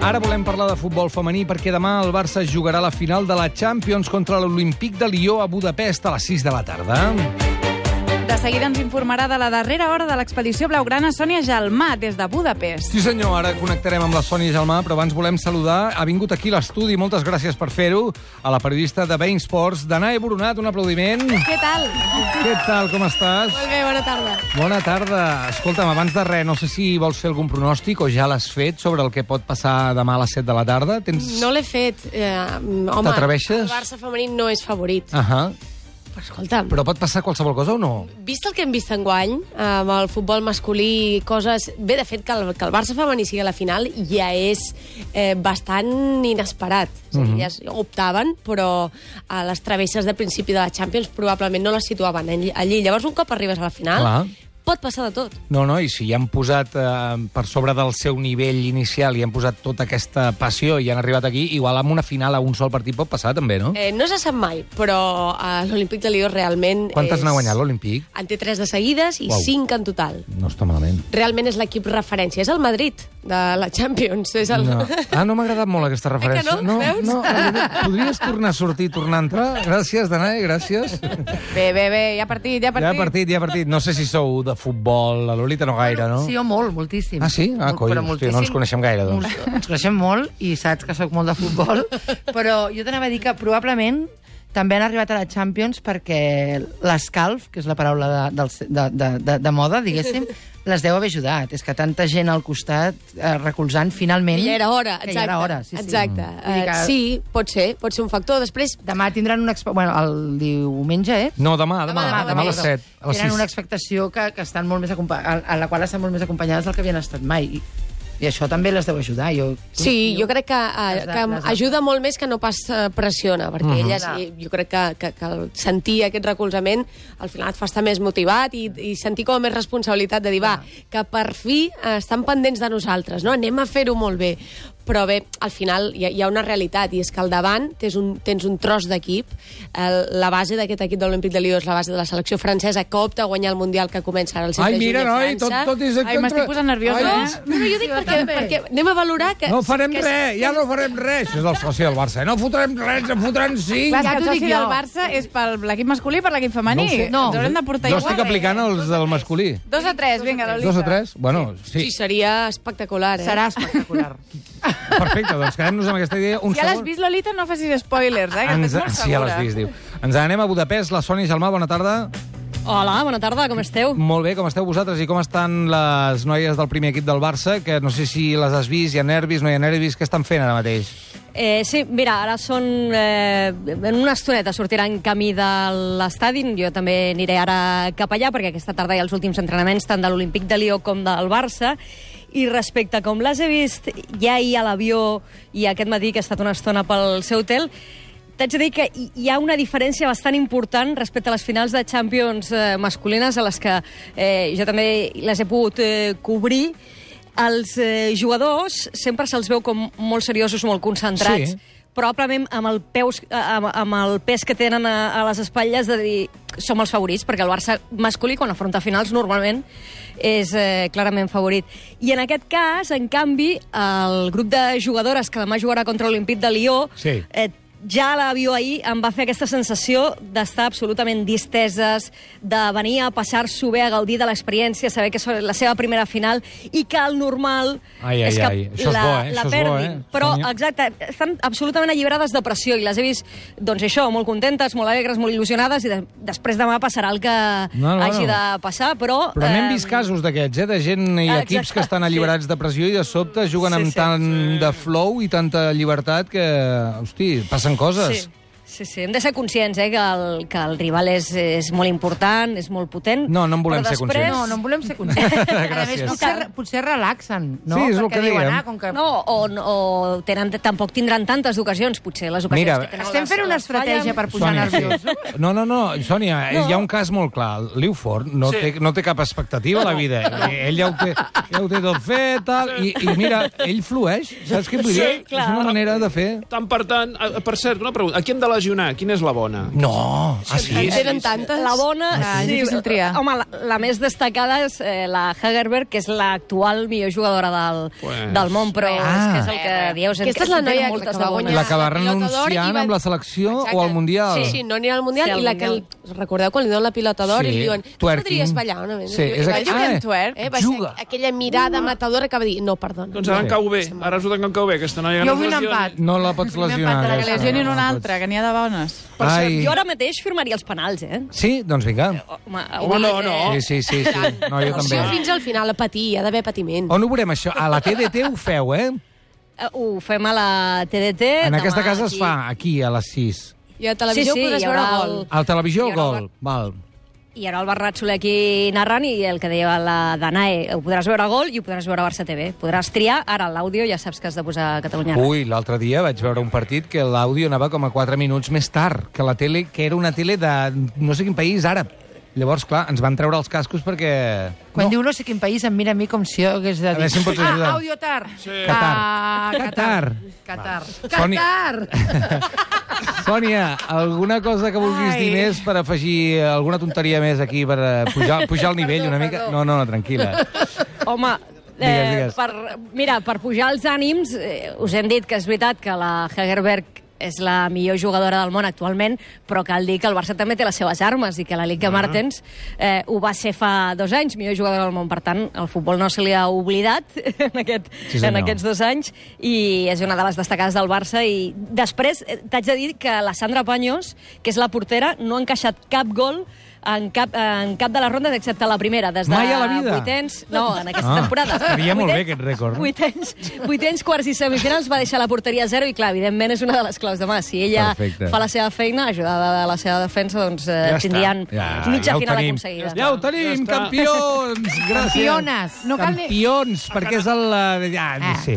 Ara volem parlar de futbol femení perquè demà el Barça jugarà la final de la Champions contra l'Olímpic de Lió a Budapest a les 6 de la tarda. De seguida ens informarà de la darrera hora de l'expedició blaugrana Sònia Gelmà, des de Budapest. Sí senyor, ara connectarem amb la Sònia Gelmà, però abans volem saludar, ha vingut aquí a l'estudi, moltes gràcies per fer-ho, a la periodista de Bein Sports, Danae Boronat, un aplaudiment. Què tal? Què tal, com estàs? Molt bé, bona tarda. Bona tarda. Escolta'm, abans de res, no sé si vols fer algun pronòstic o ja l'has fet sobre el que pot passar demà a les 7 de la tarda. No l'he fet. Home, t'atreveixes? El Barça femení no és favorit. Però escolta'm, Però pot passar qualsevol cosa o no? vist el que hem vist enguany, amb el futbol masculí, coses... Bé, de fet, que el Barça femení sigui a la final ja és bastant inesperat. És a dir, elles optaven, però a les travesses de principi de la Champions probablement no les situaven allí. Llavors, un cop arribes a la final, Clar. pot passar de tot. No, i si hi han posat per sobre del seu nivell inicial i han posat tota aquesta passió i han arribat aquí, igual amb una final a un sol partit pot passar també, no? No se sap mai, però l'Olímpic de Lió realment... Quantes n'ha guanyat l'Olímpic? En té 3 de seguides i 5 en total. No està malament. Realment és l'equip referència. És el Madrid de la Champions. És el... No. No m'ha agradat molt aquesta referència. no? Veus? Podries tornar a sortir, tornar a entrar? Gràcies, Danae, gràcies. Bé, hi ha partit. Hi ha partit. No sé si sou de futbol, la Lolita no gaire, no? Sí, jo molt, moltíssim. Ah, sí? Coi, hòstia, no ens coneixem gaire, doncs. Ens coneixem molt i saps que sóc molt de futbol, però jo t'anava a dir que probablement també han arribat a la Champions perquè l'escalf, que és la paraula de moda, diguéssim, les deu haver ajudat. És que tanta gent al costat recolzant finalment... Ja era hora, exacte. Ja era hora, sí. Exacte. Sí, pot ser un factor. Després... Demà tindran una... Bueno, el diumenge, No, demà a les 7. A les 6. Tenen una expectació que estan molt més a la qual estan molt més acompanyades del que havien estat mai. I això també les deu ajudar. Sí, jo crec que ajuda molt més que no pas pressiona, perquè elles, jo crec que sentir aquest recolzament al final et fa estar més motivat i sentir com a més responsabilitat de dir, que per fi estan pendents de nosaltres, no? Anem a fer-ho molt bé. Però bé, al final hi ha una realitat, i és que al davant tens un tros d'equip. La base d'aquest equip de l'Olímpic de Lió és la base de la selecció francesa, que opta a guanyar el Mundial que comença ara el 7 de juny a França. Tot és... Ai, m'estic posant nerviosa, No, jo dic perquè anem a valorar que... No farem res, ja no farem res. Això és el soci del Barça. No fotrem res, en fotran 5. Clar, que el soci del Barça és per l'equip masculí i per l'equip femení. No, ens haurem de portar jo igual. estic aplicant els del masculí. 2-3, vinga, Lolita. 2-3? Bueno, sí. Sí, seria espectacular, Serà espectacular. Perfecte, doncs quedem-nos amb aquesta idea. Si ja l'has vist, Lolita, no facis spoilers, que estàs molt segura. Sí, ja l'has vist, diu. Ens anem a Budapest. La Sònia Gelmà, bona tarda. Hola, bona tarda, com esteu? Molt bé, com esteu vosaltres i com estan les noies del primer equip del Barça, que no sé si les has vist, hi ha nervis, no hi ha nervis, què estan fent ara mateix? Sí, mira, ara són... en una estoneta sortiran camí de l'estadi. Jo també aniré ara cap allà, perquè aquesta tarda hi ha els últims entrenaments tant de l'Olímpic de Lió com del Barça. I respecte a com les he vist ja ahir a l'avió i aquest matí, que he estat una estona pel seu hotel, t'haig de dir que hi ha una diferència bastant important respecte a les finals de Champions masculines a les que jo també les he pogut cobrir. Els jugadors sempre se'ls veu com molt seriosos, molt concentrats, probablement amb el pes que tenen a les espatlles de dir som els favorits, perquè el Barça masculí quan afronta finals normalment és clarament favorit. I en aquest cas, en canvi, el grup de jugadores que demà jugarà contra l'Olímpic de Lió ja a l'avió ahir em va fer aquesta sensació d'estar absolutament disteses, de venir a passar-s'ho bé, a gaudir de l'experiència, saber que és la seva primera final i que el normal és que la perdin. Però, exacte, estan absolutament alliberades de pressió i les he vist, doncs això, molt contentes, molt alegres, molt il·lusionades i després demà passarà el que hagi de passar, però... Però n'hem vist casos d'aquests, de gent i equips que estan alliberats de pressió i de sobte juguen amb tant de flow i tanta llibertat que, hosti, passen coses. Sí, hem de ser conscients que el rival és molt important, és molt potent. No en volem ser conscients. No en volem ser conscients. Gràcies. A més, potser relaxen, no? Sí, és el que dèiem. O tampoc tindran tantes ocasions, potser, les ocasions que tenen. Estem fent una estratègia per posar nerviosos. No, Sònia, hi ha un cas molt clar. Liuford no té cap expectativa a la vida. Ell ja ho té tot fet, tal, i mira, ell flueix. Saps què vull dir? És una manera de fer. Per tant, per cert, una pregunta. A qui hem de lesionar. Quina és la bona? No, sí. En tenen tantes. La bona... És difícil triar. Home, la més destacada és la Hegerberg, que és l'actual millor jugadora del món, però és que és el que dieu. Aquesta és la noia que va guanyar. la que va renunciant amb la selecció o al Mundial. Sí, no anirà al Mundial, i la que... Recordeu quan li donen la pilota d'or i li diuen tu podries ballar una mica. Sí, és juga. Aquella mirada matadora que va dir, no, perdona. Doncs ara em cau bé. Ara resulta que em cau bé aquesta noia. Jo vull un empat. No la pots lesionar. Que lesionin una altra, que n'hi ha de bones. Per cert, jo ara mateix firmaria els penals, Sí? Doncs vinga. Home, no. Sí. No, jo també. Fins al final, a patir, hi ha d'haver patiment. On ho veurem, això? A la TDT ho feu, Ho fem a la TDT. En aquesta casa es fa, aquí, a les 6. I a televisió podràs veure Gol. A la televisió, Gol. Val. I ara el Bernat Soler aquí narrant, i el que deia la Danae, ho podràs veure a Gol i ho podràs veure a Barça TV. Podràs triar, ara l'àudio ja saps que has de posar Catalunya. Ui, l'altre dia vaig veure un partit que l'àudio anava com a 4 minuts més tard que la tele, que era una tele de no sé quin país àrab. Llavors, clar, ens van treure els cascos perquè... Quan diu no sé quin país, em mira a mi com si jo hagués de dir... A veure si em pots ajudar. Audiotar. Sí. Qatar. Qatar. Sònia, alguna cosa que vulguis dir més per afegir alguna tonteria més aquí, per pujar el nivell una mica? No, tranquil·la. Home, Digues. per pujar els ànims, us hem dit que és veritat que la Hegerberg és la millor jugadora del món actualment, però cal dir que el Barça també té les seves armes i que la Liga Martens ho va ser fa 2 anys, millor jugadora del món. Per tant, el futbol no se li ha oblidat en aquests 2 anys i és una de les destacades del Barça. I després t'haig de dir que la Sandra Paños, que és la portera, no ha encaixat cap gol en cap de les rondes, excepte la primera. Des de Mai a la vida? Vuitens, no, en aquesta temporada. Estaria molt bé aquest rècord. Vuitens, quarts i semifinals va deixar la porteria a 0 i, clar, evidentment és una de les claus de mà. Si ella fa la seva feina, ajudada de la seva defensa, doncs tindrien mitja final aconseguida. Ja ho tenim, campions! Campiones. Campions, perquè és el...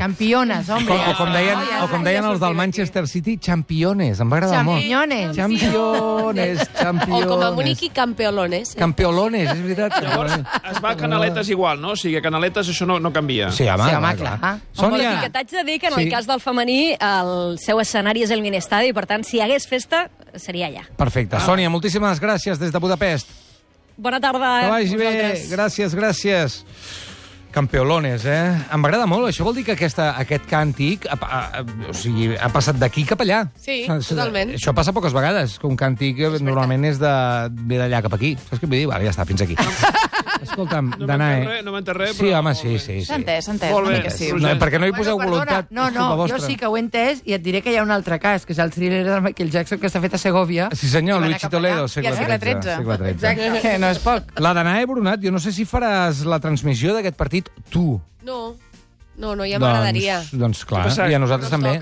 Campiones, home. O com deien els del Manchester City, championes. Em va agradar molt. Championes. O com a bonic i campeolones. Campeolones, és veritat. Llavors, es va a Canaletes igual, no? O sigui, a Canaletes això no canvia. Sí, home, clar. Sònia. Que t'haig de dir que en el cas del femení el seu escenari és el Minestadi i, per tant, si hi hagués festa, seria allà. Perfecte. Sònia, moltíssimes gràcies des de Budapest. Bona tarda. Que vagi bé. Gràcies. Campeolones, Em agrada molt. Això vol dir que aquest càntic ha passat d'aquí cap allà. Sí, totalment. Això passa poques vegades, que un càntic normalment ve d'allà cap aquí. Saps què vull dir? Ja està, fins aquí. Escolta'm, Danae... No m'entès res, però... Sí, home, sí. S'ha entès. Molt bé. Perquè no hi poseu voluntat. No, jo sí que ho he entès i et diré que hi ha un altre cas, que és el thriller de Michael Jackson, que s'ha fet a Segovia. Sí, senyor, Luigi Toledo, segle XIII. Exacte, no és poc. La Danae Brunat, jo no sé si faràs la transmissió d'aquest partit tu. No, ja m'agradaria. Doncs clar, i a nosaltres també.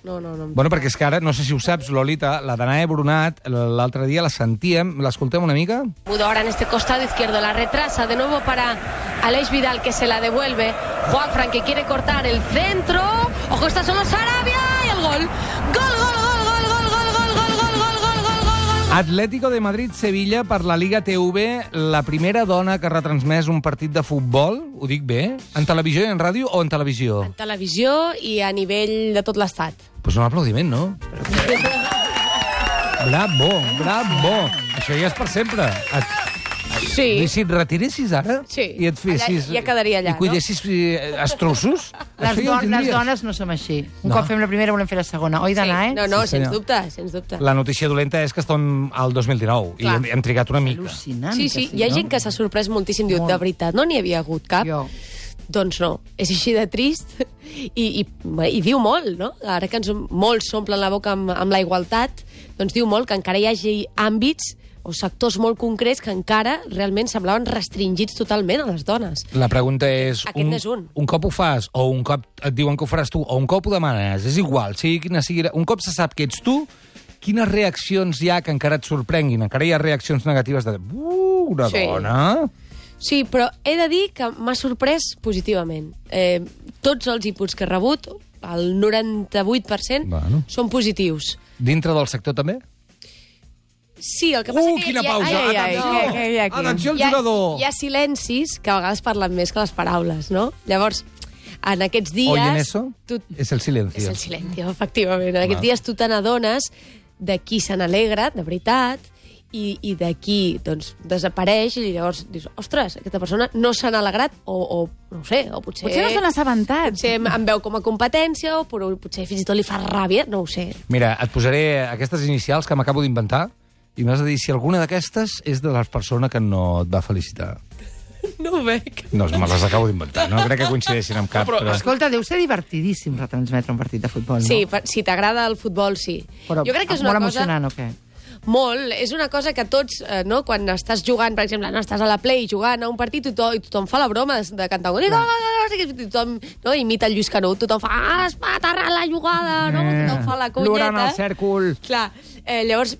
No. Bueno, perquè és que ara, no sé si ho saps, Lolita, la Danae Brunat, l'altre dia la sentíem, l'escoltem una mica? Ahora en este costado izquierdo, la retrasa de nuevo para Aleix Vidal, que se la devuelve. Juanfran, que quiere cortar el centro. Ojo, está solo Sarabia y el gol. Gol. Atlético de Madrid-Sevilla per la Liga TV, la primera dona que ha retransmès un partit de futbol, ho dic bé, en televisió i en ràdio o en televisió? En televisió i a nivell de tot l'estat. Pues un aplaudiment, no? Bravo. Això ja és per sempre. Sí. I si et retiressis ara i et fessis... Ja quedaria allà, i cuidessis estrossos? Les dones no som així. Un cop fem la primera, volem fer la segona. Oi, Danae? No, sens dubte. La notícia dolenta és que estem al 2019 i hem trigat una mica. Al·lucinant. Sí, hi ha gent que s'ha sorprès moltíssim. Diu, de veritat, no n'hi havia hagut cap? Doncs no, és així de trist i diu molt, no? Ara que molts s'omplen la boca amb la igualtat, doncs diu molt que encara hi hagi àmbits o sectors molt concrets que encara realment semblaven restringits totalment a les dones. La pregunta és... Aquest n'és un. Un cop ho fas, o un cop et diuen que ho faràs tu, o un cop ho demanes, és igual, sigui quina sigui... Un cop se sap que ets tu, quines reaccions hi ha que encara et sorprenguin? Encara hi ha reaccions negatives de... una dona... Sí, però he de dir que m'ha sorprès positivament. Tots els inputs que he rebut, el 98%, són positius. Dintre del sector també? Sí, el que passa que... Quina pausa! Atenció al jugador! Hi ha silencis que a vegades parlen més que les paraules, no? Llavors, en aquests dies... Oye, en eso? És el silencio. És el silencio, efectivament. En aquests dies tu te n'adones de qui se n'alegra, de veritat, i de qui doncs, desapareix, i llavors dius, ostres, aquesta persona no se n'ha alegrat, o no ho sé, o potser... Potser no se n'ha assabentat. Potser em veu com a competència, o potser fins i tot li fa ràbia, no ho sé. Mira, et posaré aquestes inicials que m'acabo d'inventar i m'has de dir si alguna d'aquestes és de la persona que no et va felicitar. No ho veig. No, me les acabo d'inventar. No crec que coincideixin amb cap. Però... Escolta, deu ser divertidíssim retransmetre un partit de futbol, no? Sí, si t'agrada el futbol, sí. Però jo crec que és una molt cosa... emocionant, o què? Molt. És una cosa que tots, no, quan estàs jugant, per exemple, no, estàs a la Play jugant a un partit i tothom fa la broma de cantar un gol, tothom no, imita el Lluís Canut, tothom fa es va aterrar la jugada, no? Tothom fa la conyeta. Plorant al cèrcol. Clar, llavors,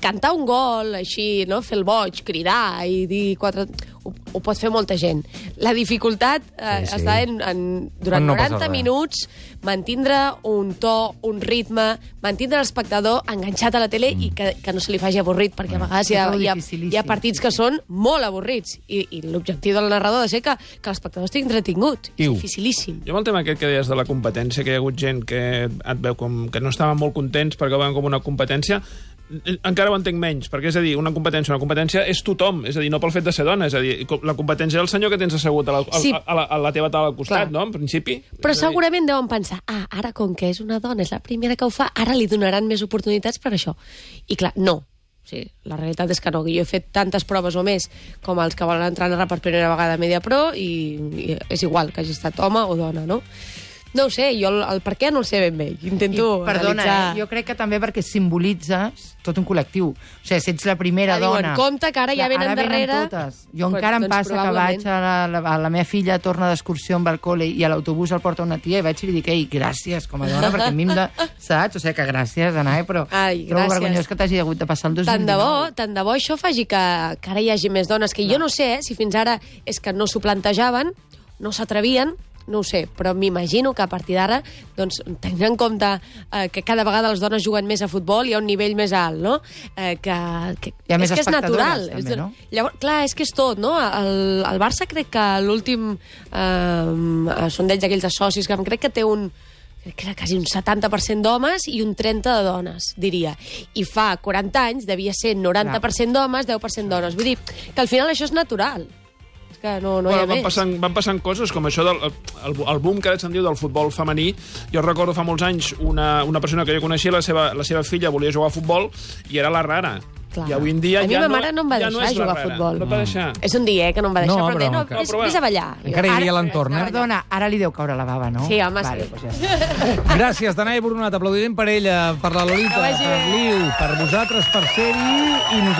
cantar un gol, així, no? Fer el boig, cridar i dir quatre... Ho pot fer molta gent. La dificultat està durant 90 minuts mantindre un to, un ritme, mantindre l'espectador enganxat a la tele i que no se li faci avorrit, perquè a vegades hi ha partits que són molt avorrits i l'objectiu del narrador ha de ser que l'espectador estigui entretingut. És dificilíssim. Jo amb el tema aquest que deies de la competència, que hi ha hagut gent que et veu com que no estaven molt contents perquè ho veuen com una competència, encara ho entenc menys, perquè és a dir, una competència és tothom, és a dir, no pel fet de ser dona, és a dir, la competència és el senyor que tens assegut a la teva taula al costat, no?, en principi. Però segurament deuen pensar, ara com que és una dona, és la primera que ho fa, ara li donaran més oportunitats per això. I clar, no. Sí, la realitat és que no, que jo he fet tantes proves o més com els que volen entrar a narrar per primera vegada a Mediapro i és igual que hagi estat home o dona, no? No ho sé, jo el per què no el sé ben bé. Intento analitzar... jo crec que també perquè simbolitzes tot un col·lectiu. O sigui, si ets la primera dona... Diuen, compte, que ara ja venen darrere... Totes. Jo encara em passa que vaig a la meva filla, torna d'excursió amb el col·le i a l'autobús el porta una tia i vaig i li dic, ei, gràcies, com a dona, perquè a mi em de... Saps? O sigui, que gràcies, Anai, però trobo vergonyós que t'hagi hagut de passar el 2019. Tant de bo això faci que ara hi hagi més dones, que jo no sé si fins ara és que no s'ho plantejaven, no s'atrevien, no ho sé, però m'imagino que a partir d'ara, doncs, tenint en compte que cada vegada les dones juguen més a futbol, hi ha un nivell més alt, no? Hi ha més és natural. També, no? Llavors, clar, és que és tot, no? El Barça crec que l'últim sondeig d'aquells de socis, que crec que té crec que era quasi un 70% d'homes i un 30% de dones, diria. I fa 40 anys devia ser 90% d'homes, 10% dones. Vull dir que al final això és natural. Que no hi ha més. Van passant coses com això el boom que ara se'n diu del futbol femení. Jo recordo fa molts anys una persona que jo coneixia, la seva filla volia jugar a futbol i era la rara. Clar. I avui en dia a mi ma mare no em va deixar jugar a futbol. No et va deixar. És un dia que no em va deixar, però vés a ballar. Encara hi havia l'entorn, eh? Perdona, ara li deu caure la bava, no? Sí, home, vale, sí. Doncs ja està. Gràcies, Danae Boronat. Aplaudiment per ella, per la Lolita, per l'Iu, per vosaltres, per ser-hi, i nosaltres